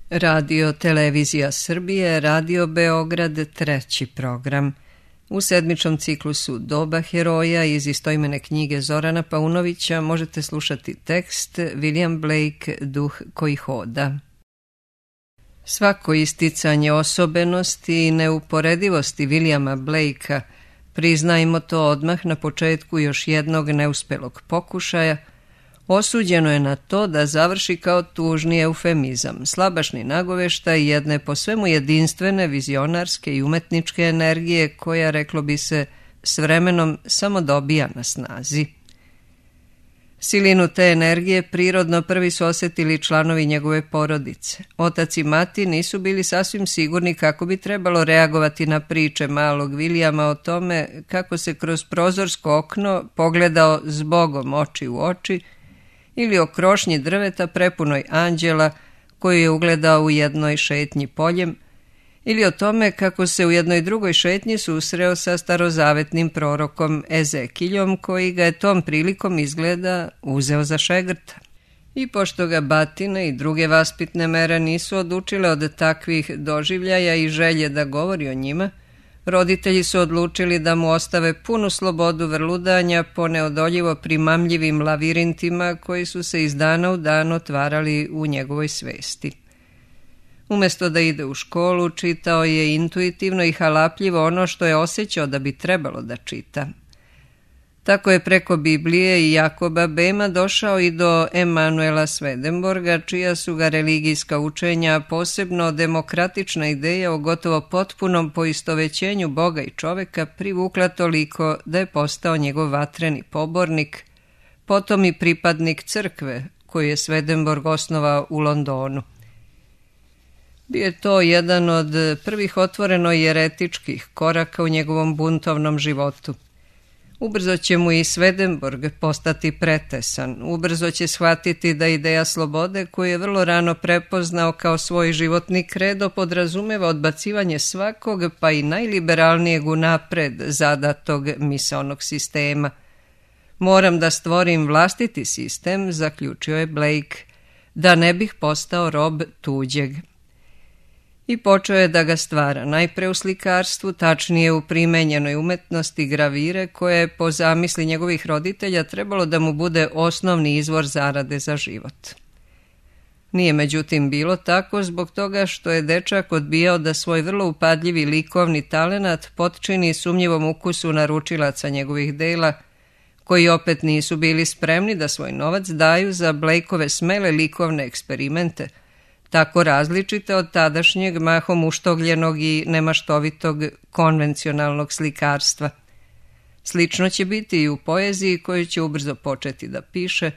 Radio Televizija Srbije, Radio Beograd, treći program. U sedmičnom ciklusu Doba heroja iz istoimene knjige Zorana Paunovića možete slušati tekst William Blake, Duh koji hoda. Svako isticanje osobenosti i neuporedivosti Williama Blakea, priznajmo to odmah na početku još jednog neuspelog pokušaja, osuđeno je na to da završi kao tužni eufemizam, slabašni nagoveštaj jedne po svemu jedinstvene vizionarske i umetničke energije koja, reklo bi se, s vremenom samo dobija na snazi. Silinu te energije prirodno prvi su osjetili članovi njegove porodice. Otac i mati nisu bili sasvim sigurni kako bi trebalo reagovati na priče malog Williama o tome kako se kroz prozorsko okno pogledao s Bogom oči u oči ili o krošnji drveta prepunoj anđela koju je ugledao u jednoj šetnji poljem, ili o tome kako se u jednoj drugoj šetnji susreo sa starozavetnim prorokom Ezekiljom koji ga je tom prilikom izgleda uzeo za šegrta. I pošto ga batina i druge vaspitne mere nisu odučile od takvih doživljaja i želje da govori o njima, roditelji su odlučili da mu ostave punu slobodu vrludanja po neodoljivo primamljivim lavirintima koji su se iz dana u dan otvarali u njegovoj svesti. Umesto da ide u školu, čitao je intuitivno i halapljivo ono što je osjećao da bi trebalo da čita. Tako je preko Biblije i Jakoba Bema došao i do Emanuela Swedenborga, čija su ga religijska učenja, posebno demokratična ideja o gotovo potpunom poistovećenju Boga i čoveka, privukla toliko da je postao njegov vatreni pobornik, potom i pripadnik crkve koju je Swedenborg osnovao u Londonu. Bio je to jedan od prvih otvoreno jeretičkih koraka u njegovom buntovnom životu. Ubrzo će mu i Swedenborg postati pretesan, ubrzo će shvatiti da ideja slobode, koju je vrlo rano prepoznao kao svoj životni kredo, podrazumeva odbacivanje svakog, pa i najliberalnijeg unapred zadatog misaonog sistema. Moram da stvorim vlastiti sistem, zaključio je Blake, da ne bih postao rob tuđeg. I počeo je da ga stvara, najpre u slikarstvu, tačnije u primenjenoj umetnosti gravire, koja je po zamisli njegovih roditelja trebalo da mu bude osnovni izvor zarade za život. Nije međutim bilo tako zbog toga što je dečak odbijao da svoj vrlo upadljivi likovni talenat potčini sumnjivom ukusu naručilaca njegovih dela, koji opet nisu bili spremni da svoj novac daju za Blakeove smele likovne eksperimente, tako različite od tadašnjeg mahom uštogljenog i nemaštovitog konvencionalnog slikarstva. Slično će biti i u poeziji koju će ubrzo početi da piše,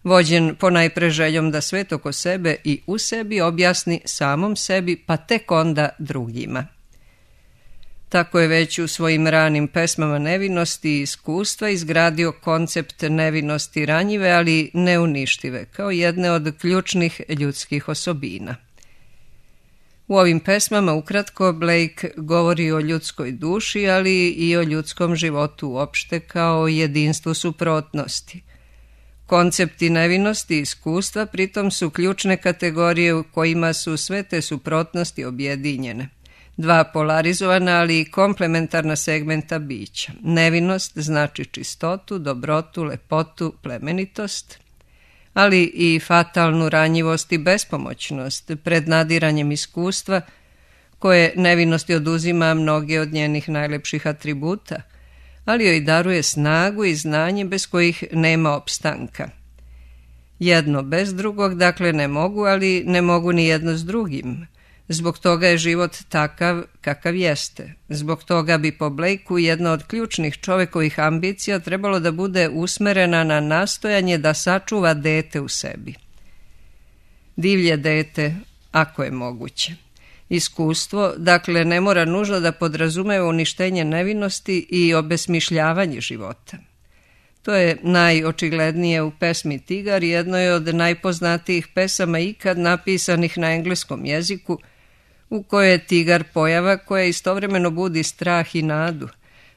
vođen ponajpre željom da svet oko sebe i u sebi objasni samom sebi, pa tek onda drugima. Tako je već u svojim ranim pesmama nevinosti i iskustva izgradio koncept nevinosti ranjive, ali neuništive, kao jedne od ključnih ljudskih osobina. U ovim pesmama ukratko Blake govori o ljudskoj duši, ali i o ljudskom životu uopšte kao jedinstvu suprotnosti. Koncepti nevinosti i iskustva pritom su ključne kategorije u kojima su sve te suprotnosti objedinjene. Dva polarizovana, ali i komplementarna segmenta bića. Nevinost znači čistotu, dobrotu, lepotu, plemenitost, ali i fatalnu ranjivost i bespomoćnost pred nadiranjem iskustva, koje nevinosti oduzima mnoge od njenih najlepših atributa, ali joj daruje snagu i znanje bez kojih nema opstanka. Jedno bez drugog, dakle, ne mogu, ali ne mogu ni jedno s drugim. Zbog toga je život takav kakav jeste. Zbog toga bi po Blakeu jedna od ključnih čovekovih ambicija trebalo da bude usmerena na nastojanje da sačuva dete u sebi. Divlje dete, ako je moguće. Iskustvo, dakle, ne mora nužno da podrazumeva uništenje nevinosti i obesmišljavanje života. To je najočiglednije u pesmi Tigar, jednoj od najpoznatijih pesama ikad napisanih na engleskom jeziku, u kojoj je tigar pojava koja istovremeno budi strah i nadu,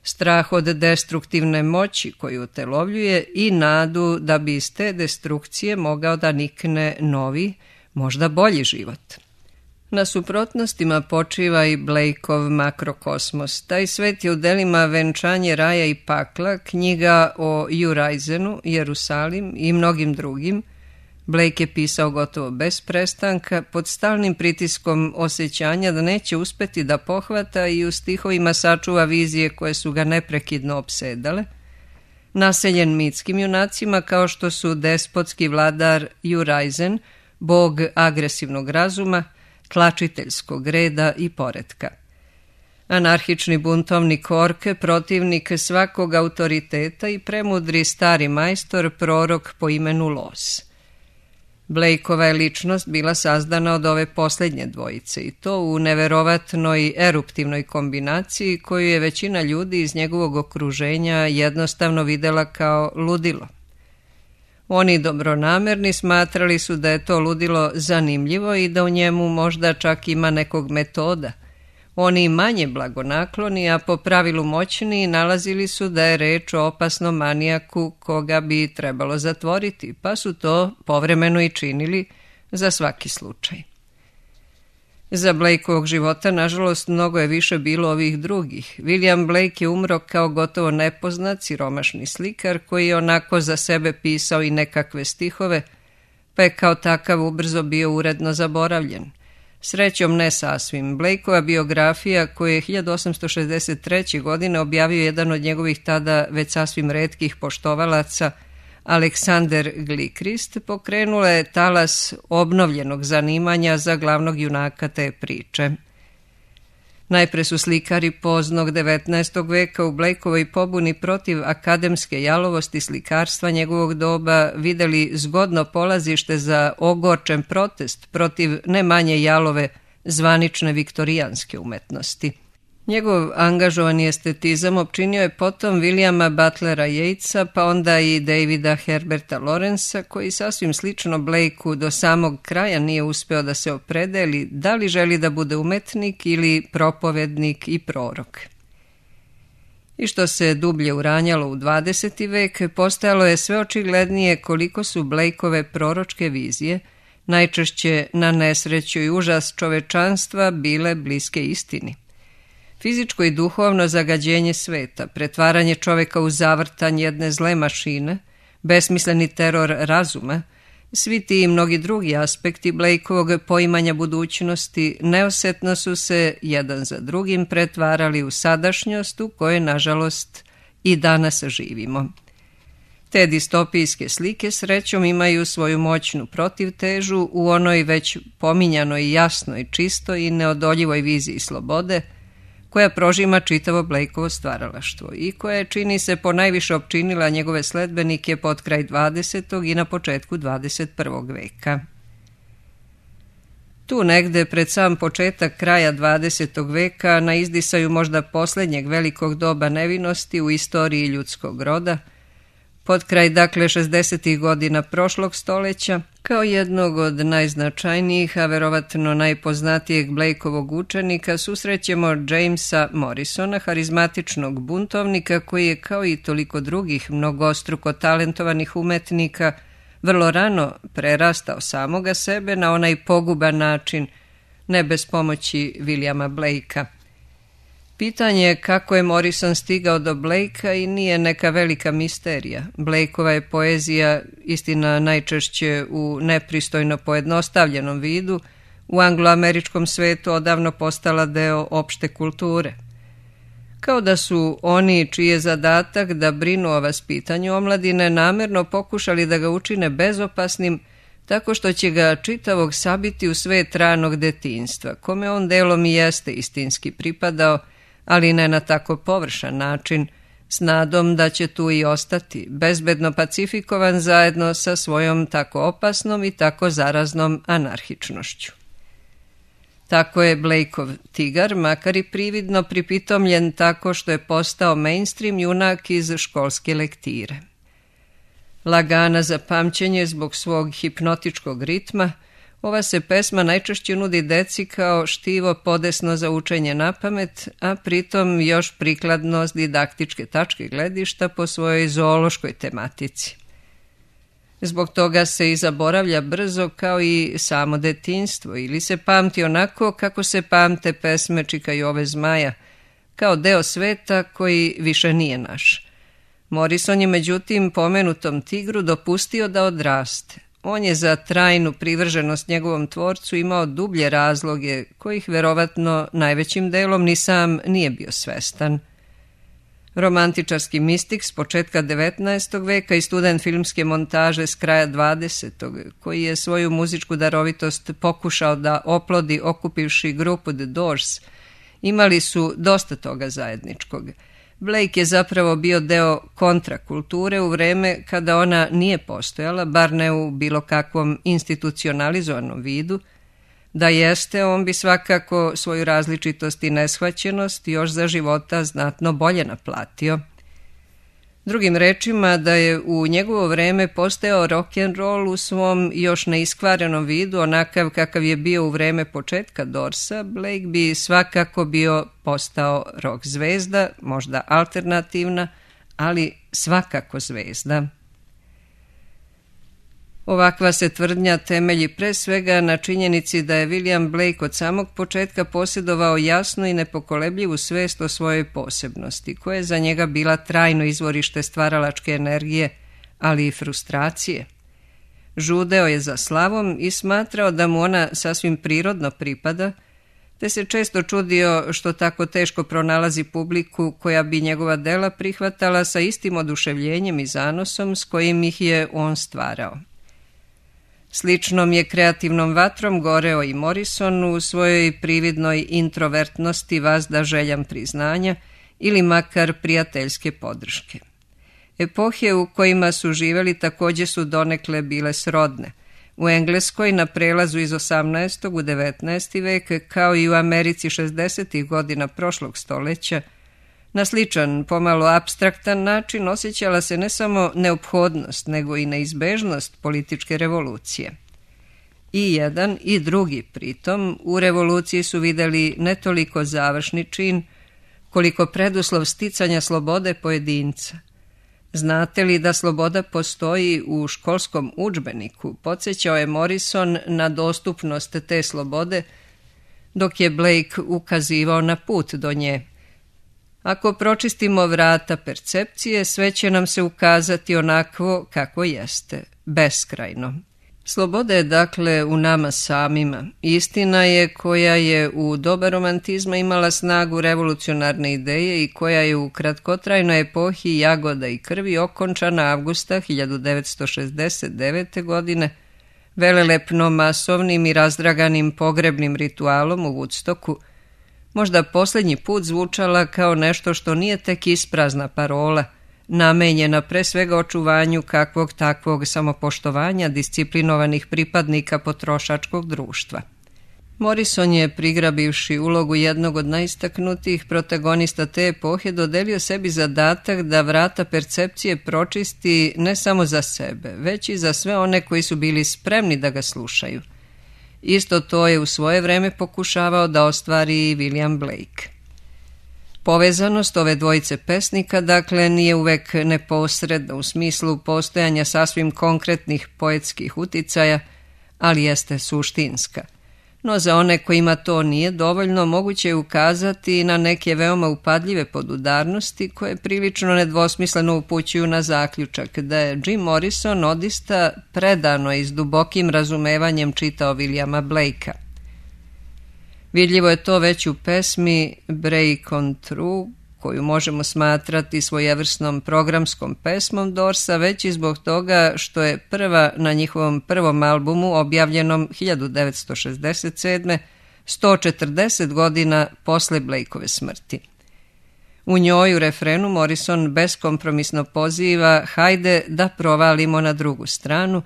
strah od destruktivne moći koju utelovljuje i nadu da bi iz te destrukcije mogao da nikne novi, možda bolji život. Na suprotnostima počiva i Blakeov makrokosmos. Taj svet je u delima Venčanje raja i pakla, knjiga o Uriasenu, Jerusalim i mnogim drugim. Blake je pisao gotovo bez prestanka, pod stalnim pritiskom osjećanja da neće uspeti da pohvata i u stihovima sačuva vizije koje su ga neprekidno opsedale. Naseljen mitskim junacima kao što su despotski vladar Uriasen, bog agresivnog razuma, tlačiteljskog reda i poretka. Anarhični buntovnik Orke, protivnik svakog autoriteta i premudri stari majstor, prorok po imenu Los. Blakeova je ličnost bila sazdana od ove posljednje dvojice i to u neverovatnoj eruptivnoj kombinaciji koju je većina ljudi iz njegovog okruženja jednostavno videla kao ludilo. Oni dobronamerni smatrali su da je to ludilo zanimljivo i da u njemu možda čak ima nekog metoda. Oni manje blagonakloni, a po pravilu moćni, nalazili su da je reč o opasnom manijaku koga bi trebalo zatvoriti, pa su to povremeno i činili za svaki slučaj. Za Blakeovog života, nažalost, mnogo je više bilo ovih drugih. William Blake je umro kao gotovo nepoznat, siromašni slikar koji je onako za sebe pisao i nekakve stihove, pa je kao takav ubrzo bio uredno zaboravljen. Srećom ne sasvim. Blakeova biografija koju je 1863. godine objavio jedan od njegovih tada već sasvim retkih poštovalaca, Aleksander Gilchrist, pokrenula je talas obnovljenog zanimanja za glavnog junaka te priče. Najpre su slikari poznog 19. veka u Blakeovoj pobuni protiv akademske jalovosti slikarstva njegovog doba videli zgodno polazište za ogorčen protest protiv ne manje jalove zvanične viktorijanske umetnosti. Njegov angažovani estetizam opčinio je potom Williama Butlera Yeatsa, pa onda i Davida Herberta Lawrencea, koji sasvim slično Blakeu do samog kraja nije uspeo da se opredeli da li želi da bude umetnik ili propovednik i prorok. I što se dublje uranjalo u 20. vek, postajalo je sve očiglednije koliko su Blakeove proročke vizije, najčešće na nesreću i užas čovečanstva, bile bliske istini. Fizičko i duhovno zagađenje sveta, pretvaranje čoveka u zavrtanj jedne zle mašine, besmisleni teror razuma, svi ti i mnogi drugi aspekti Blakeovog poimanja budućnosti neosetno su se jedan za drugim pretvarali u sadašnjost u kojoj, nažalost, i danas živimo. Te distopijske slike srećom imaju svoju moćnu protivtežu u onoj već pominjanoj jasnoj, čistoj i neodoljivoj viziji slobode, koja prožima čitavo Blakeovo stvaralaštvo i koja je, čini se, ponajviše opčinila njegove sledbenike pod kraj 20. i na početku 21. veka. Tu negde pred sam početak kraja 20. veka na izdisaju možda posljednjeg velikog doba nevinosti u istoriji ljudskog roda, pod kraj dakle 60. godina prošlog stoljeća, kao jednog od najznačajnijih, a verovatno najpoznatijeg Blakeovog učenika, susrećemo Jamesa Morrisona, harizmatičnog buntovnika koji je, kao i toliko drugih mnogostruko talentovanih umetnika, vrlo rano prerastao samoga sebe na onaj poguban način, ne bez pomoći Williama Blakea. Pitanje je kako je Morrison stigao do Blakea i nije neka velika misterija. Blakeova je poezija, istina najčešće u nepristojno pojednostavljenom vidu, u angloameričkom svetu odavno postala deo opšte kulture. Kao da su oni čiji je zadatak da brinu o vaspitanju omladine namerno pokušali da ga učine bezopasnim, tako što će ga čitavog sabiti u svet ranog detinjstva, kome on delom i jeste istinski pripadao, ali ne na tako površan način, s nadom da će tu i ostati, bezbedno pacifikovan zajedno sa svojom tako opasnom i tako zaraznom anarhičnošću. Tako je Blakeov tigar, makar i prividno pripitomljen tako što je postao mainstream junak iz školske lektire. Lagana za pamćenje zbog svog hipnotičkog ritma, ova se pesma najčešće nudi deci kao štivo podesno za učenje napamet, a pritom još prikladno s didaktičke tačke gledišta po svojoj zoološkoj tematici. Zbog toga se i zaboravlja brzo kao i samo detinjstvo ili se pamti onako kako se pamte pesme Čika Jove Zmaja, kao deo sveta koji više nije naš. Morrison je međutim pomenutom tigru dopustio da odraste. On je za trajnu privrženost njegovom tvorcu imao dublje razloge, kojih verovatno najvećim delom ni sam nije bio svestan. Romantičarski mistik s početka 19. veka i student filmske montaže s kraja 20. koji je svoju muzičku darovitost pokušao da oplodi okupivši grupu The Doors, imali su dosta toga zajedničkog. Blake je zapravo bio deo kontrakulture u vreme kada ona nije postojala, bar ne u bilo kakvom institucionalizovanom vidu. Da jeste, on bi svakako svoju različitost i neshvaćenost još za života znatno bolje naplatio. Drugim rečima, da je u njegovo vreme postojao rock'n'roll u svom još neiskvarenom vidu, onakav kakav je bio u vreme početka Doorsa, Blake bi svakako bio postao rock zvezda, možda alternativna, ali svakako zvezda. Ovakva se tvrdnja temelji pre svega na činjenici da je William Blake od samog početka posjedovao jasnu i nepokolebljivu svest o svojoj posebnosti, koja je za njega bila trajno izvorište stvaralačke energije, ali i frustracije. Žudeo je za slavom i smatrao da mu ona sasvim prirodno pripada, te se često čudio što tako teško pronalazi publiku koja bi njegova dela prihvatala sa istim oduševljenjem i zanosom s kojim ih je on stvarao. Sličnom je kreativnom vatrom goreo i Morrison u svojoj prividnoj introvertnosti vazda željam priznanja ili makar prijateljske podrške. Epohe u kojima su živeli također su donekle bile srodne. U Engleskoj na prelazu iz 18. u 19. vek, kao i u Americi 60. godina prošlog stoljeća, na sličan, pomalo apstraktan način osjećala se ne samo neophodnost, nego i neizbežnost političke revolucije. I jedan i drugi pritom u revoluciji su videli ne toliko završni čin, koliko preduslov sticanja slobode pojedinca. Znate li da sloboda postoji u školskom udžbeniku? Podsjećao je Morrison na dostupnost te slobode, dok je Blake ukazivao na put do nje. Ako pročistimo vrata percepcije, sve će nam se ukazati onakvo kako jeste, beskrajno. Sloboda je dakle u nama samima. Istina je koja je u doba romantizma imala snagu revolucionarne ideje i koja je u kratkotrajnoj epohi jagoda i krvi okončana avgusta 1969. godine velelepno masovnim i razdraganim pogrebnim ritualom u Woodstocku, možda posljednji put zvučala kao nešto što nije tek isprazna parola, namenjena pre svega očuvanju kakvog takvog samopoštovanja disciplinovanih pripadnika potrošačkog društva. Morrison je, prigrabivši ulogu jednog od najistaknutijih protagonista te epohe, dodelio sebi zadatak da vrata percepcije pročisti ne samo za sebe, već i za sve one koji su bili spremni da ga slušaju. Isto to je u svoje vreme pokušavao da ostvari i William Blake. Povezanost ove dvojice pesnika, dakle, nije uvek neposredna u smislu postojanja sasvim konkretnih poetskih uticaja, ali jeste suštinska. No za one kojima to nije dovoljno, moguće je ukazati na neke veoma upadljive podudarnosti koje prilično nedvosmisleno upućuju na zaključak da je Jim Morrison odista predano i s dubokim razumevanjem čitao Williama Blakea. Vidljivo je to već u pesmi Break on Through, koju možemo smatrati svojevrsnom programskom pesmom Doorsa, već i zbog toga što je prva na njihovom prvom albumu objavljenom 1967. 140 godina posle Blakeove smrti. U njoj u refrenu Morrison beskompromisno poziva hajde da provalimo na drugu stranu,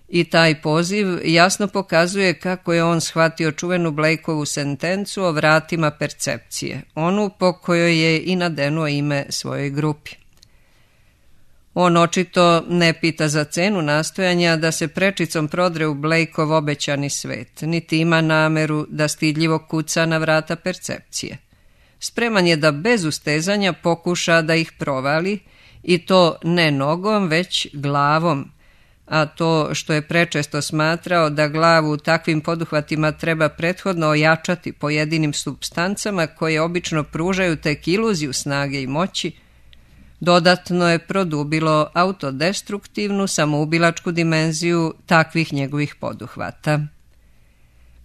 i taj poziv jasno pokazuje kako je on shvatio čuvenu Blakeovu sentencu o vratima percepcije, onu po kojoj je i nadenuo ime svojoj grupi. On očito ne pita za cenu nastojanja da se prečicom prodre u Blakeov obećani svet, niti ima nameru da stidljivo kuca na vrata percepcije. Spreman je da bez ustezanja pokuša da ih provali, i to ne nogom, već glavom, a to što je prečesto smatrao da glavu takvim poduhvatima treba prethodno ojačati pojedinim supstancama koje obično pružaju tek iluziju snage i moći, dodatno je produbilo autodestruktivnu samoubilačku dimenziju takvih njegovih poduhvata.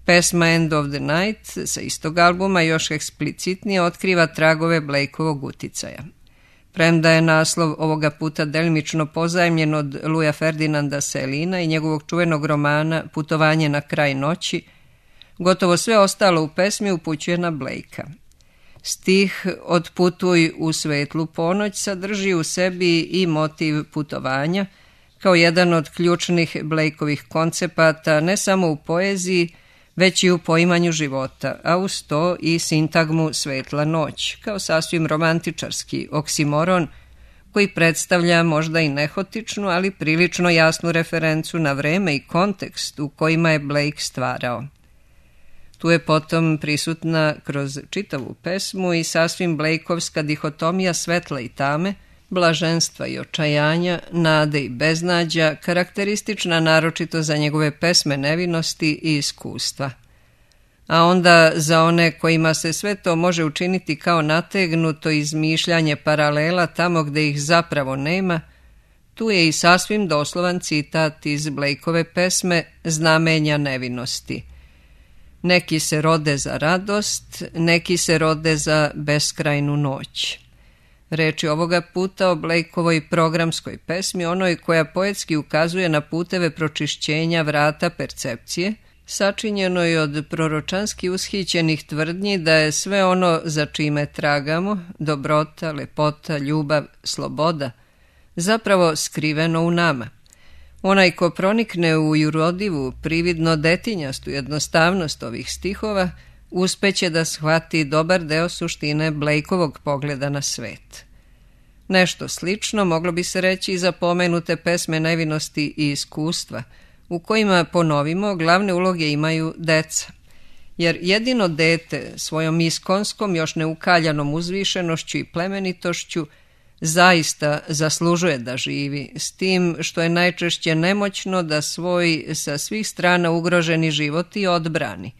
Pesma End of the Night sa istog albuma još eksplicitnije otkriva tragove Blakeovog uticaja. Premda je naslov ovoga puta delimično pozajmljen od Louisa Ferdinanda Celina i njegovog čuvenog romana Putovanje na kraj noći, gotovo sve ostalo u pesmi upućuje na Blakea. Stih Otputuj u svetlu ponoć sadrži u sebi i motiv putovanja, kao jedan od ključnih Blakeovih koncepata ne samo u poeziji, već i u poimanju života, a uz to i sintagmu svetla noć, kao sasvim romantičarski oksimoron koji predstavlja možda i nehotičnu, ali prilično jasnu referencu na vreme i kontekst u kojima je Blake stvarao. Tu je potom prisutna kroz čitavu pesmu i sasvim Blakeovska dihotomija svetla i tame, blaženstva i očajanja, nade i beznađa, karakteristična naročito za njegove pesme nevinosti i iskustva. A onda za one kojima se sve to može učiniti kao nategnuto izmišljanje paralela tamo gde ih zapravo nema, tu je i sasvim doslovan citat iz Blakeove pesme Znamenja nevinosti. Neki se rode za radost, neki se rode za beskrajnu noć. Reči ovoga puta o Blakeovoj programskoj pesmi, onoj koja poetski ukazuje na puteve pročišćenja vrata percepcije, sačinjeno je od proročanski ushićenih tvrdnji da je sve ono za čime tragamo, dobrota, lepota, ljubav, sloboda, zapravo skriveno u nama. Onaj ko pronikne u jurodivu, prividno detinjastu jednostavnost ovih stihova, uspeće da shvati dobar deo suštine Blakeovog pogleda na svet. Nešto slično moglo bi se reći i za pomenute pesme nevinosti i iskustva, u kojima, ponovimo, glavne uloge imaju deca. Jer jedino dete svojom iskonskom, još neukaljanom uzvišenošću i plemenitošću zaista zaslužuje da živi, s tim što je najčešće nemoćno da svoj sa svih strana ugroženi život i odbrani.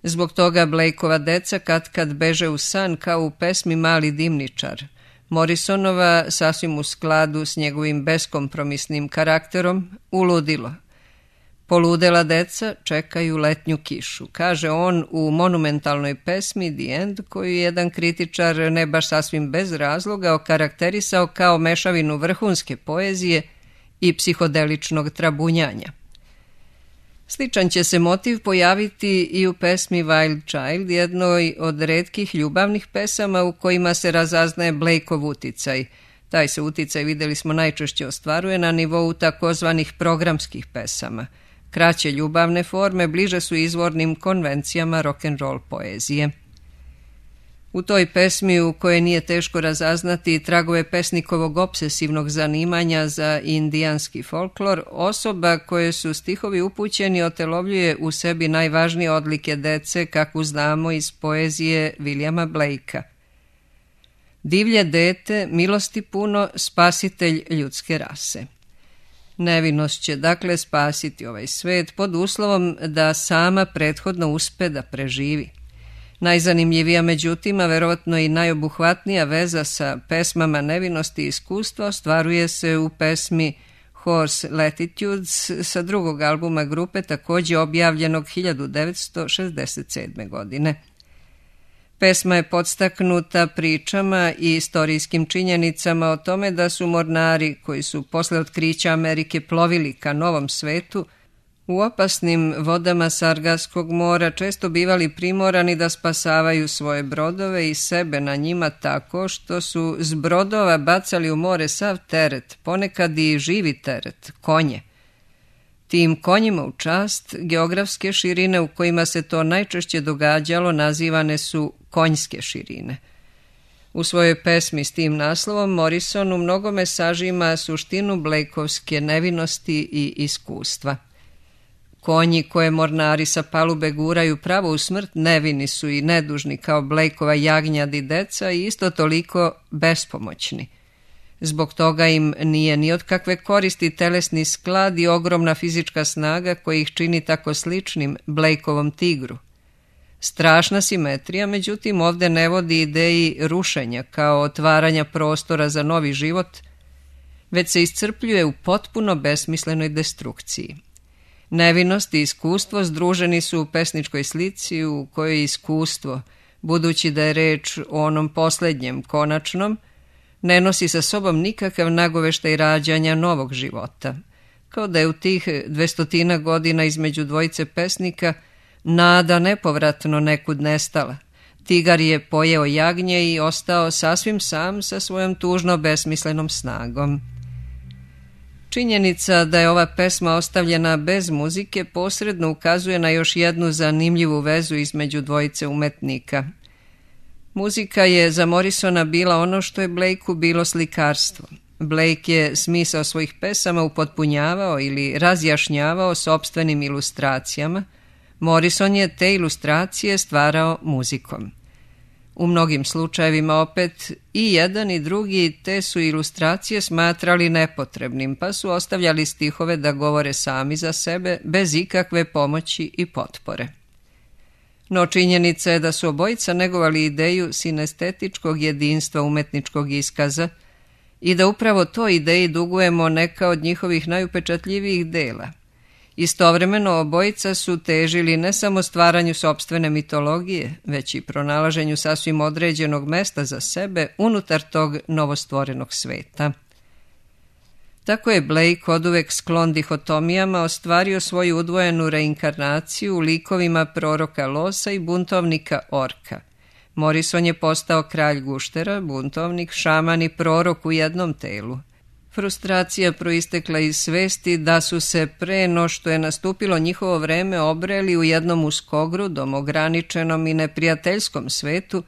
Zbog toga Blakeova deca kad beže u san kao u pesmi Mali dimničar, Morrisonova, sasvim u skladu s njegovim beskompromisnim karakterom, uludilo. Poludela deca čekaju letnju kišu, kaže on u monumentalnoj pesmi The End, koju jedan kritičar ne baš sasvim bez razloga okarakterisao kao mešavinu vrhunske poezije i psihodeličnog trabunjanja. Sličan će se motiv pojaviti i u pesmi Wild Child, jednoj od retkih ljubavnih pesama u kojima se razaznaje Blakeov uticaj. Taj se uticaj, videli smo, najčešće ostvaruje na nivou takozvanih programskih pesama. Kraće ljubavne forme bliže su izvornim konvencijama rock'n'roll poezije. U toj pesmi, u kojoj nije teško razaznati tragove pesnikovog obsesivnog zanimanja za indijanski folklor, osoba koje su stihovi upućeni otelovljuje u sebi najvažnije odlike dece kakvu znamo iz poezije Williama Blakea. Divlje dete, milosti puno, spasitelj ljudske rase. Nevinost će dakle spasiti ovaj svet pod uslovom da sama prethodno uspe da preživi. Najzanimljivija, međutim, a verovatno i najobuhvatnija veza sa pesmama nevinosti i iskustva ostvaruje se u pesmi Horse Latitudes sa drugog albuma grupe, također objavljenog 1967. godine. Pesma je podstaknuta pričama i istorijskim činjenicama o tome da su mornari koji su posle otkrića Amerike plovili ka Novom svetu u opasnim vodama Sargaskog mora često bivali primorani da spasavaju svoje brodove i sebe na njima tako što su s brodova bacali u more sav teret, ponekad i živi teret, konje. Tim konjima u čast, geografske širine u kojima se to najčešće događalo nazivane su konjske širine. U svojoj pesmi s tim naslovom Morrison u mnogome sažima suštinu Blakeovske nevinosti i iskustva. Konji koje mornari sa palube guraju pravo u smrt nevini su i nedužni kao Blakeova jagnjad i deca i isto toliko bespomoćni. Zbog toga im nije ni od kakve koristi telesni sklad i ogromna fizička snaga koja ih čini tako sličnim Blakeovom tigru. Strašna simetrija, međutim, ovdje ne vodi ideji rušenja kao otvaranja prostora za novi život, već se iscrpljuje u potpuno besmislenoj destrukciji. Nevinost i iskustvo združeni su u pesničkoj slici u kojoj je iskustvo, budući da je reč o onom posljednjem, konačnom, ne nosi sa sobom nikakav nagoveštaj rađanja novog života, kao da je u tih 200 godina između dvojice pesnika nada nepovratno nekud nestala. Tigar je pojeo jagnje i ostao sasvim sam sa svojom tužno besmislenom snagom. Činjenica da je ova pesma ostavljena bez muzike posredno ukazuje na još jednu zanimljivu vezu između dvojice umetnika. Muzika je za Morrisona bila ono što je Blakeu bilo slikarstvo. Blake je smisao svojih pesama upotpunjavao ili razjašnjavao sopstvenim ilustracijama. Morrison je te ilustracije stvarao muzikom. U mnogim slučajevima opet i jedan i drugi te su ilustracije smatrali nepotrebnim, pa su ostavljali stihove da govore sami za sebe bez ikakve pomoći i potpore. No činjenica je da su obojica negovali ideju sinestetičkog jedinstva umetničkog iskaza i da upravo toj ideji dugujemo neka od njihovih najupečatljivijih dela. Istovremeno obojica su težili ne samo stvaranju sopstvene mitologije, već i pronalaženju sasvim određenog mesta za sebe unutar tog novostvorenog sveta. Tako je Blake oduvek sklon dihotomijama ostvario svoju udvojenu reinkarnaciju u likovima proroka Losa i buntovnika Orka. Morrison je postao kralj guštera, buntovnik, šaman i prorok u jednom telu. Frustracija proistekla iz svesti da su se pre no što je nastupilo njihovo vreme obreli u jednom uskogrudom, ograničenom i neprijateljskom svetu,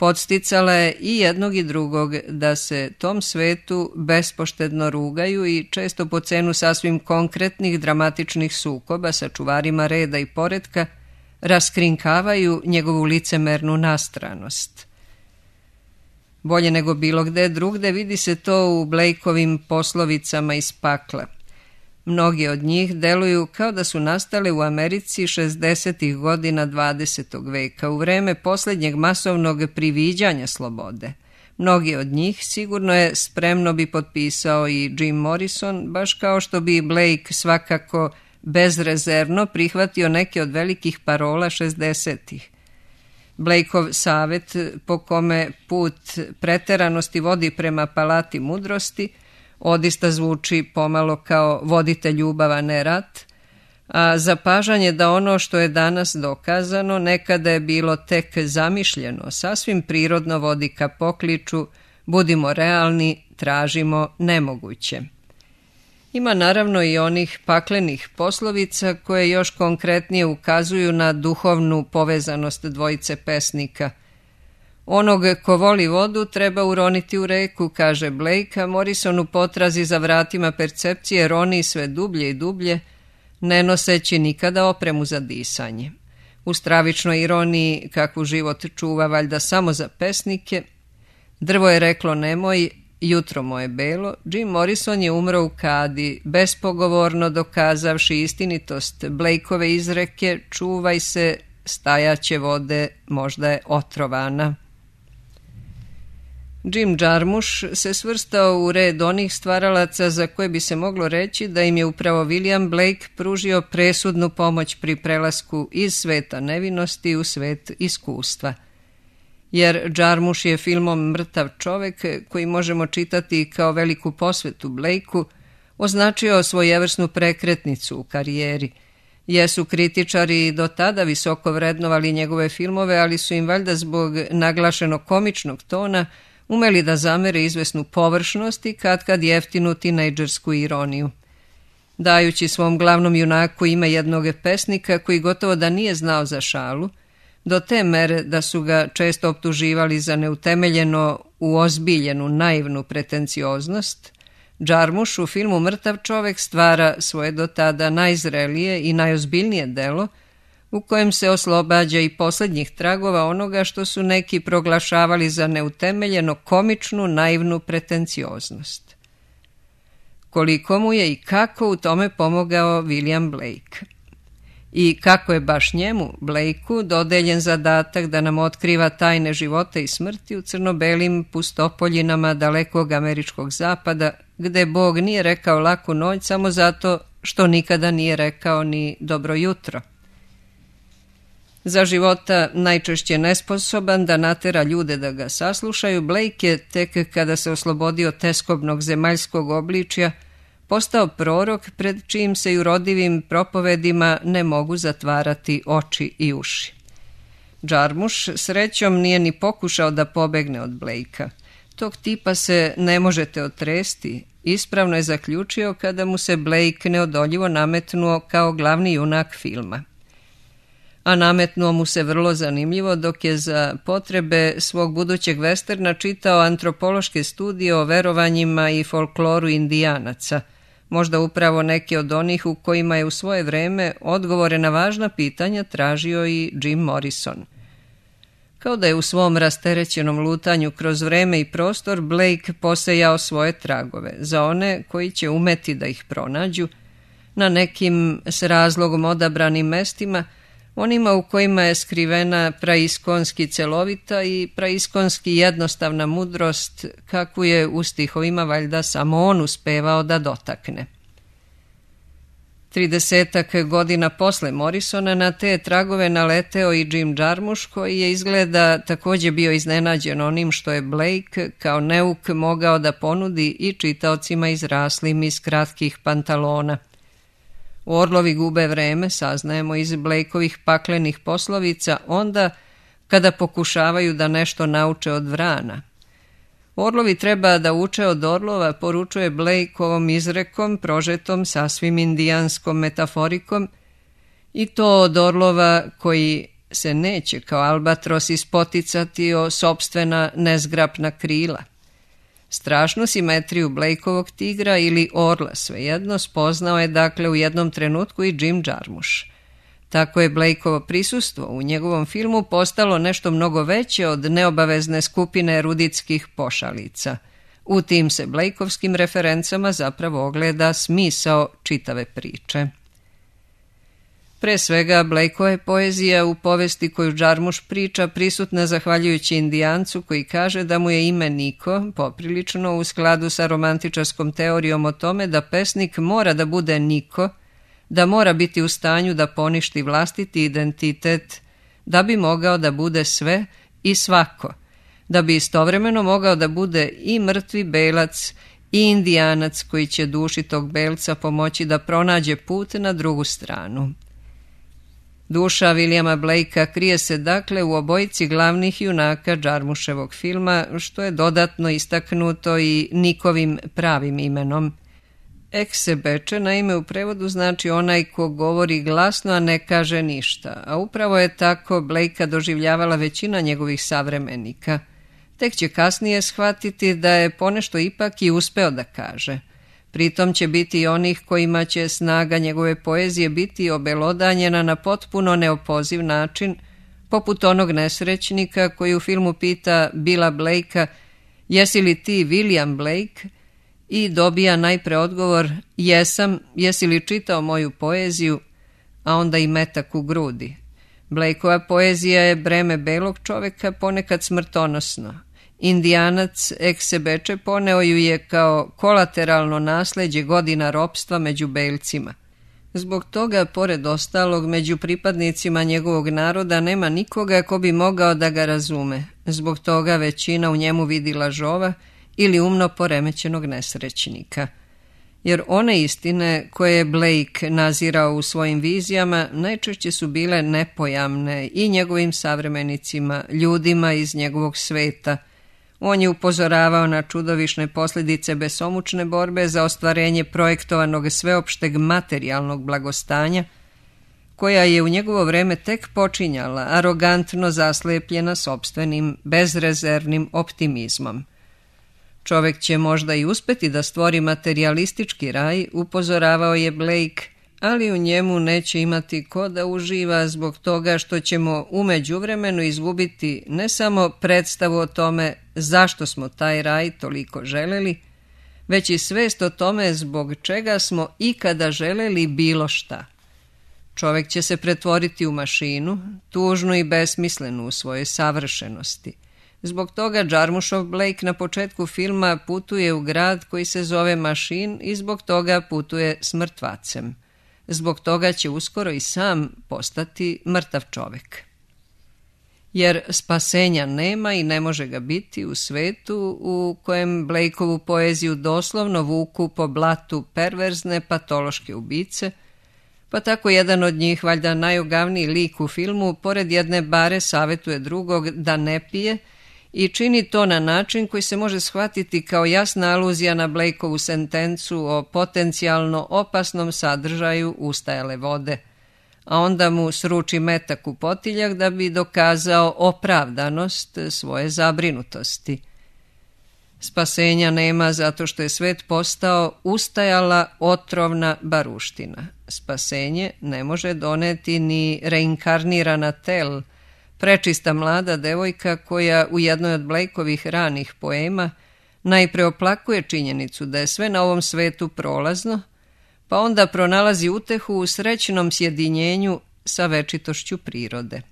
podsticala je i jednog i drugog da se tom svetu bespoštedno rugaju i često po cenu sasvim konkretnih dramatičnih sukoba sa čuvarima reda i poretka raskrinkavaju njegovu licemernu nastranost. Bolje nego bilo gde drugde vidi se to u Blakeovim poslovicama iz pakla. Mnogi od njih deluju kao da su nastale u Americi 60. godina 20. veka, u vreme posljednjeg masovnog priviđanja slobode. Mnogi od njih sigurno je spremno bi potpisao i Jim Morrison, baš kao što bi Blake svakako bezrezervno prihvatio neke od velikih parola 60-ih. Blakeov savjet po kome put preteranosti vodi prema palati mudrosti odista zvuči pomalo kao vodite ljubav, a ne rat, a zapažanje da ono što je danas dokazano nekada je bilo tek zamišljeno, sasvim prirodno vodi ka pokliču budimo realni, tražimo nemoguće. Ima naravno i onih paklenih poslovica koje još konkretnije ukazuju na duhovnu povezanost dvojice pesnika. Onog ko voli vodu treba uroniti u reku, kaže Blake, a Morrison u potrazi za vratima percepcije roni sve dublje i dublje, ne noseći nikada opremu za disanje. U stravičnoj ironiji, kakvu život čuva valjda samo za pesnike, drvo je reklo nemoj, jutro moje belo, Jim Morrison je umro u kadi, bespogovorno dokazavši istinitost Blakeove izreke čuvaj se, stajaće vode, možda je otrovana. Jim Jarmusch se svrstao u red onih stvaralaca za koje bi se moglo reći da im je upravo William Blake pružio presudnu pomoć pri prelasku iz sveta nevinosti u svet iskustva. Jer Jarmusch je filmom Mrtav čovek, koji možemo čitati kao veliku posvetu Blakeu, označio svojevrsnu prekretnicu u karijeri. Jesu kritičari do tada visoko vrednovali njegove filmove, ali su im valjda zbog naglašenog komičnog tona umeli da zamere izvesnu površnost i katkad jeftinu tinejdžersku ironiju. Dajući svom glavnom junaku ime jednog pesnika koji gotovo da nije znao za šalu, do te mere da su ga često optuživali za neutemeljeno uozbiljenu naivnu pretencioznost, Jarmusch u filmu Mrtav čovek stvara svoje do tada najzrelije i najozbiljnije delo u kojem se oslobađa i posljednjih tragova onoga što su neki proglašavali za neutemeljeno komičnu, naivnu pretencioznost. Koliko mu je i kako u tome pomogao William Blake. I kako je baš njemu, Blakeu, dodeljen zadatak da nam otkriva tajne života i smrti u crno-belim pustopoljinama dalekog američkog zapada, gde Bog nije rekao laku noć samo zato što nikada nije rekao ni dobro jutro. Za života najčešće nesposoban da natera ljude da ga saslušaju, Blake je tek kada se oslobodio teskobnog zemaljskog obličja postao prorok pred čijim se i urodivim propovedima ne mogu zatvarati oči i uši. Jarmusch srećom nije ni pokušao da pobegne od Blakea. Tog tipa se ne možete otresti, ispravno je zaključio kada mu se Blake neodoljivo nametnuo kao glavni junak filma. A nametnuo mu se vrlo zanimljivo dok je za potrebe svog budućeg westerna čitao antropološke studije o verovanjima i folkloru Indijanaca, možda upravo neki od onih u kojima je u svoje vreme odgovore na važna pitanja tražio i Jim Morrison. Kao da je u svom rasterećenom lutanju kroz vreme i prostor Blake posejao svoje tragove, za one koji će umeti da ih pronađu, na nekim s razlogom odabranim mestima, onima u kojima je skrivena praiskonski celovita i praiskonski jednostavna mudrost, kakvu je u stihovima valjda samo on uspevao da dotakne. 30 godina posle Morrisona na te tragove naleteo i Jim Jarmusch, koji je izgleda također bio iznenađen onim što je Blake kao neuk mogao da ponudi i čitaocima izraslim iz kratkih pantalona. Orlovi gube vreme, saznajemo iz Blakeovih paklenih poslovica, onda kada pokušavaju da nešto nauče od vrana. Orlovi treba da uče od orlova, poručuje Blake ovom izrekom, prožetom sasvim indijanskom metaforikom, i to od orlova koji se neće kao albatros ispoticati o sopstvena nezgrapna krila. Strašnu simetriju Blakeovog tigra ili orla, svejedno, spoznao je dakle u jednom trenutku i Jim Jarmusch. Tako je Blakeovo prisustvo u njegovom filmu postalo nešto mnogo veće od neobavezne skupine eruditskih pošalica. U tim se Blakeovskim referencama zapravo ogleda smisao čitave priče. Pre svega, Blakeova je poezija u povesti koju Jarmusch priča prisutna zahvaljujući Indijancu koji kaže da mu je ime Niko, poprilično u skladu sa romantičarskom teorijom o tome da pesnik mora da bude Niko, da mora biti u stanju da poništi vlastiti identitet, da bi mogao da bude sve i svako, da bi istovremeno mogao da bude i mrtvi belac i Indijanac koji će duši tog belca pomoći da pronađe put na drugu stranu. Duša Williama Blakea krije se dakle u obojici glavnih junaka Jarmuschevog filma, što je dodatno istaknuto i Nikovim pravim imenom. Eksebeče naime u prevodu znači onaj ko govori glasno, a ne kaže ništa, a upravo je tako Blakea doživljavala većina njegovih savremenika. Tek će kasnije shvatiti da je ponešto ipak i uspeo da kaže. Pritom će biti i onih kojima će snaga njegove poezije biti obelodanjena na potpuno neopoziv način, poput onog nesrećnika koji u filmu pita Billa Blakea jesi li ti William Blake i dobija najpre odgovor jesam, jesi li čitao moju poeziju, a onda i metak u grudi. Blakeova poezija je breme belog čoveka ponekad smrtonosno. Indijanac Eksebeče poneo ju je kao kolateralno nasleđe godina ropstva među belcima. Zbog toga, pored ostalog, među pripadnicima njegovog naroda nema nikoga ko bi mogao da ga razume. Zbog toga većina u njemu vidi lažova ili umno poremećenog nesrećnika. Jer one istine koje je Blake nazirao u svojim vizijama najčešće su bile nepojamne i njegovim savremenicima, ljudima iz njegovog sveta. On je upozoravao na čudovišne posljedice besomučne borbe za ostvarenje projektovanog sveopšteg materijalnog blagostanja, koja je u njegovo vreme tek počinjala, arogantno zaslepljena sopstvenim, bezrezervnim optimizmom. Čovek će možda i uspeti da stvori materijalistički raj, upozoravao je Blake, ali u njemu neće imati ko da uživa zbog toga što ćemo u međuvremenu izgubiti ne samo predstavu o tome zašto smo taj raj toliko želeli, već i svest o tome zbog čega smo ikada želeli bilo šta. Čovjek će se pretvoriti u mašinu, tužnu i besmislenu u svojoj savršenosti. Zbog toga Jarmušov Blake na početku filma putuje u grad koji se zove Mašin i zbog toga putuje s mrtvacem. Zbog toga će uskoro i sam postati mrtav čovjek. Jer spasenja nema i ne može ga biti u svetu u kojem Blakeovu poeziju doslovno vuku po blatu perverzne patološke ubice, pa tako jedan od njih, valjda najogavniji lik u filmu, pored jedne bare savjetuje drugog da ne pije i čini to na način koji se može shvatiti kao jasna aluzija na Blakeovu sentencu o potencijalno opasnom sadržaju ustajale vode, a onda mu sruči metak u potiljak da bi dokazao opravdanost svoje zabrinutosti. Spasenja nema zato što je svet postao ustajala otrovna baruština. Spasenje ne može doneti ni reinkarnirana Tel, prečista mlada devojka koja u jednoj od Blakeovih ranih poema najpre oplakuje činjenicu da je sve na ovom svetu prolazno, pa onda pronalazi utehu u srećnom sjedinjenju sa večitošću prirode.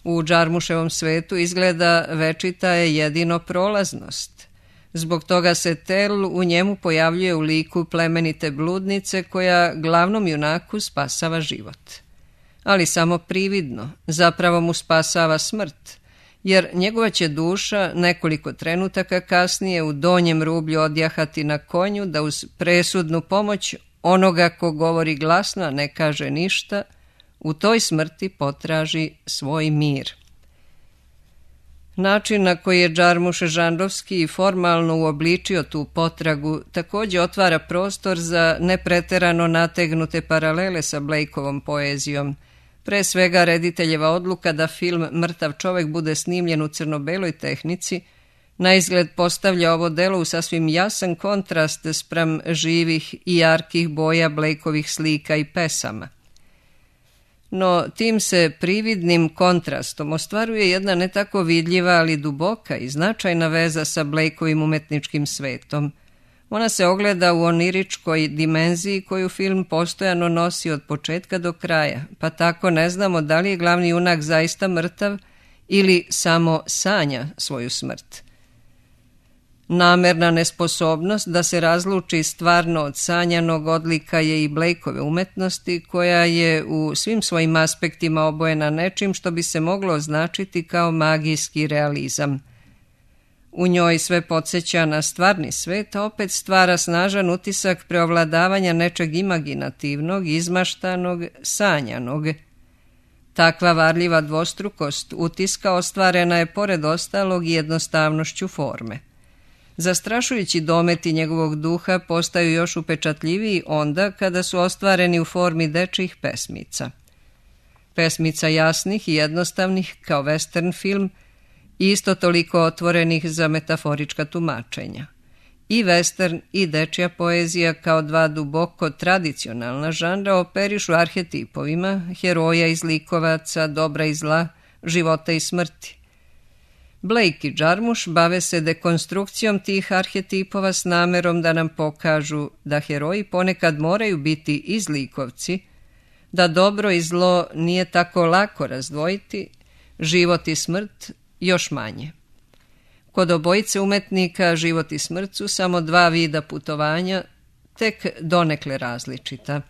U Jarmuševom svetu izgleda večita je jedino prolaznost. Zbog toga se Tel u njemu pojavljuje u liku plemenite bludnice koja glavnom junaku spasava život. Ali samo prividno, zapravo mu spasava smrt, jer njegova će duša nekoliko trenutaka kasnije u donjem rublju odjahati na konju da uz presudnu pomoć onoga ko govori glasno, a ne kaže ništa, u toj smrti potraži svoj mir. Način na koji je Jarmuš žanrovski i formalno uobličio tu potragu također otvara prostor za nepreterano nategnute paralele sa Blakeovom poezijom. Pre svega rediteljeva odluka da film Mrtav čovjek bude snimljen u crno-beloj tehnici na izgled postavlja ovo delo u sasvim jasan kontrast spram živih i jarkih boja Blakeovih slika i pesama. No tim se prividnim kontrastom ostvaruje jedna ne tako vidljiva, ali duboka i značajna veza sa Blakeovim umetničkim svetom. Ona se ogleda u oniričkoj dimenziji koju film postojano nosi od početka do kraja, pa tako ne znamo da li je glavni junak zaista mrtav ili samo sanja svoju smrt. Namerna nesposobnost da se razluči stvarno od sanjanog odlika je i Blakeove umetnosti, koja je u svim svojim aspektima obojena nečim što bi se moglo označiti kao magijski realizam. U njoj sve podsjeća na stvarni svet, a opet stvara snažan utisak preovladavanja nečeg imaginativnog, izmaštanog, sanjanog. Takva varljiva dvostrukost utiska ostvarena je pored ostalog i jednostavnošću forme. Zastrašujući dometi njegovog duha postaju još upečatljiviji onda kada su ostvareni u formi dečjih pesmica. Pesmica jasnih i jednostavnih kao western film, isto toliko otvorenih za metaforička tumačenja. I western i dečja poezija kao dva duboko tradicionalna žanra operišu arhetipovima, heroja i zlikovaca, dobra i zla, života i smrti. Blake i Jarmuš bave se dekonstrukcijom tih arhetipova s namerom da nam pokažu da heroji ponekad moraju biti i zlikovci, da dobro i zlo nije tako lako razdvojiti, život i smrt još manje. Kod obojice umetnika život i smrt su samo dva vida putovanja, tek donekle različita.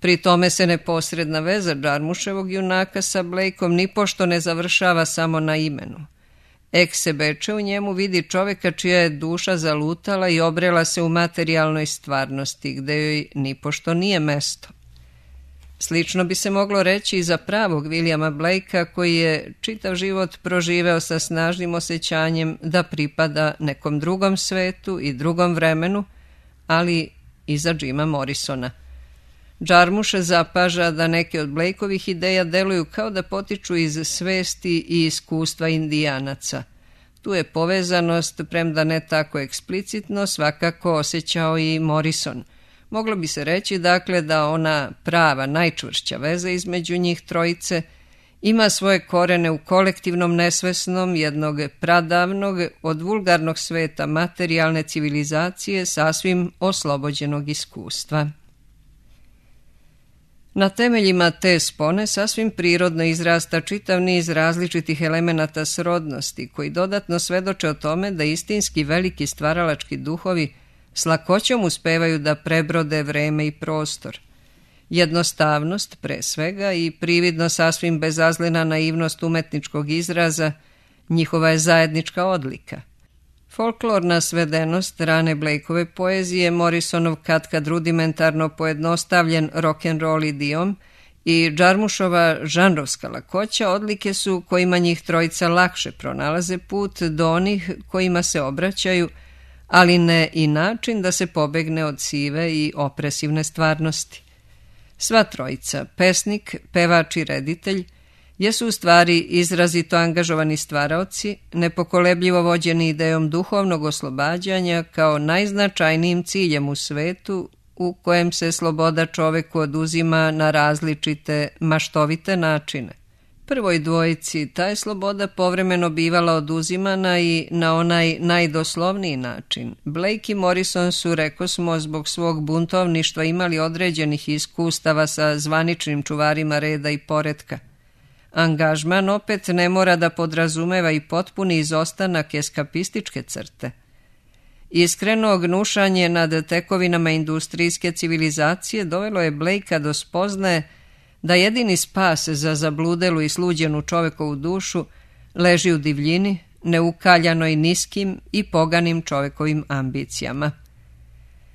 Pri tome se neposredna veza Jarmuševog junaka sa Blakeom nipošto ne završava samo na imenu. Eksebeče u njemu vidi čovjeka čija je duša zalutala i obrela se u materijalnoj stvarnosti, gde joj nipošto nije mesto. Slično bi se moglo reći i za pravog Williama Blakea, koji je čitav život proživeo sa snažnim osjećanjem da pripada nekom drugom svetu i drugom vremenu, ali i za Jima Morrisona. Jarmuš zapaža da neke od Blakeovih ideja deluju kao da potiču iz svesti i iskustva Indijanaca. Tu je povezanost, premda ne tako eksplicitno, svakako osjećao i Morrison. Moglo bi se reći dakle da ona prava najčvršća veza između njih trojice ima svoje korene u kolektivnom nesvesnom jednog pradavnog od vulgarnog sveta materijalne civilizacije sasvim oslobođenog iskustva. Na temeljima te spone sasvim prirodno izrasta čitav niz različitih elemenata srodnosti koji dodatno svedoče o tome da istinski veliki stvaralački duhovi s lakoćom uspevaju da prebrode vreme i prostor. Jednostavnost, pre svega, i prividno sasvim bezazlena naivnost umetničkog izraza njihova je zajednička odlika. Folklorna svedenost rane Blakeove poezije, Morrisonov katkad rudimentarno pojednostavljen rock'n'roll idiom i Jarmušova žanrovska lakoća odlike su kojima njih trojica lakše pronalaze put do onih kojima se obraćaju, ali ne i način da se pobegne od sive i opresivne stvarnosti. Sva trojica, pesnik, pevač i reditelj, jesu u stvari izrazito angažovani stvaraoci, nepokolebljivo vođeni idejom duhovnog oslobađanja kao najznačajnijim ciljem u svetu u kojem se sloboda čoveku oduzima na različite maštovite načine. Prvoj dvojici ta je sloboda povremeno bivala oduzimana i na onaj najdoslovniji način. Blake i Morrison su, rekosmo, zbog svog buntovništva imali određenih iskustava sa zvaničnim čuvarima reda i poretka. Angažman opet ne mora da podrazumeva i potpuni izostanak eskapističke crte. Iskreno gnušanje nad tekovinama industrijske civilizacije dovelo je Blakea do spoznaje da jedini spas za zabludelu i sluđenu čovekovu dušu leži u divljini, neukaljanoj niskim i poganim čovekovim ambicijama.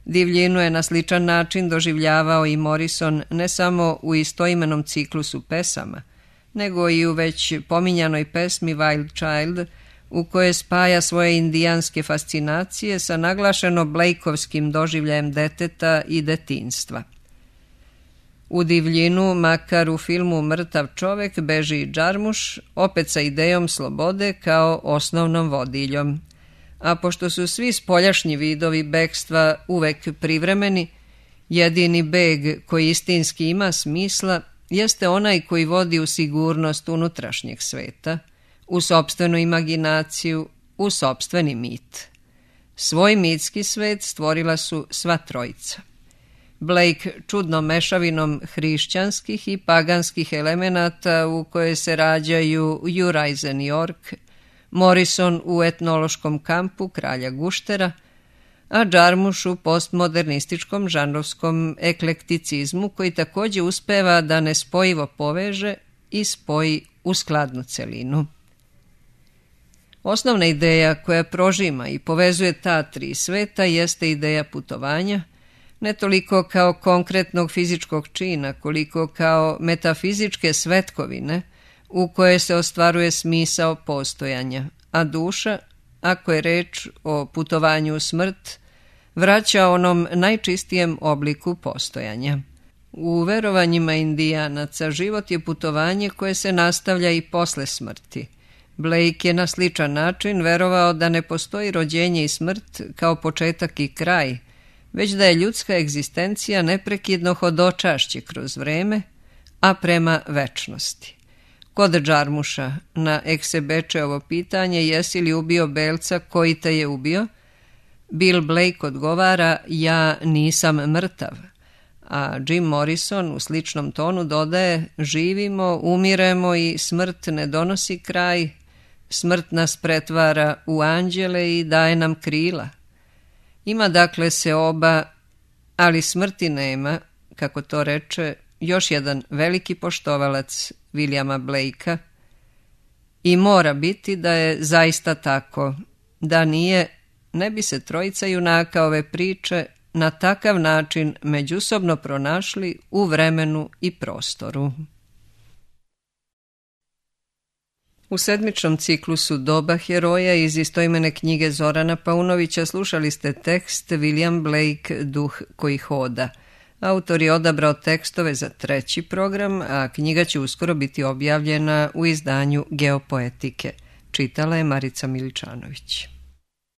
Divljinu je na sličan način doživljavao i Morrison ne samo u istoimenom ciklusu pesama, nego i u već pominjanoj pesmi Wild Child, u kojoj spaja svoje indijanske fascinacije sa naglašeno Blakeovskim doživljajem deteta i detinjstva. U divljinu, makar u filmu Mrtav čovek, beži i Jarmuš, opet sa idejom slobode kao osnovnom vodiljom. A pošto su svi spoljašnji vidovi bekstva uvek privremeni, jedini beg koji istinski ima smisla jeste onaj koji vodi u sigurnost unutrašnjeg sveta, u sopstvenu imaginaciju, u sopstveni mit. Svoj mitski svet stvorila su sva trojica. Blake čudnom mešavinom hrišćanskih i paganskih elemenata u koje se rađaju Juraj za New York, Morrison u etnološkom kampu kralja Guštera, a Jarmuš u postmodernističkom žanrovskom eklekticizmu koji također uspeva da nespojivo poveže i spoji u skladnu celinu. Osnovna ideja koja prožima i povezuje ta tri sveta jeste ideja putovanja, ne toliko kao konkretnog fizičkog čina, koliko kao metafizičke svetkovine u koje se ostvaruje smisao postojanja, a duša, ako je reč o putovanju u smrt, vraća onom najčistijem obliku postojanja. U verovanjima Indijanaca život je putovanje koje se nastavlja i posle smrti. Blake je na sličan način verovao da ne postoji rođenje i smrt kao početak i kraj, već da je ljudska egzistencija neprekidno hodočašće kroz vreme, a prema večnosti. Kod Jarmuša na Eksebečeovo pitanje jesi li ubio belca koji te je ubio, Bill Blake odgovara ja nisam mrtav, a Jim Morrison u sličnom tonu dodaje živimo, umiremo i smrt ne donosi kraj, smrt nas pretvara u anđele i daje nam krila. Ima dakle se oba, ali smrti nema, kako to reče još jedan veliki poštovalac Williama Blakea, i mora biti da je zaista tako. Da nije, ne bi se trojica junaka ove priče na takav način međusobno pronašli u vremenu i prostoru. U sedmičnom ciklusu Doba heroja iz istoimene knjige Zorana Paunovića slušali ste tekst William Blake Duh koji hoda. Autor je odabrao tekstove za 3. program, a knjiga će uskoro biti objavljena u izdanju Geopoetike. Čitala je Marica Miličanović.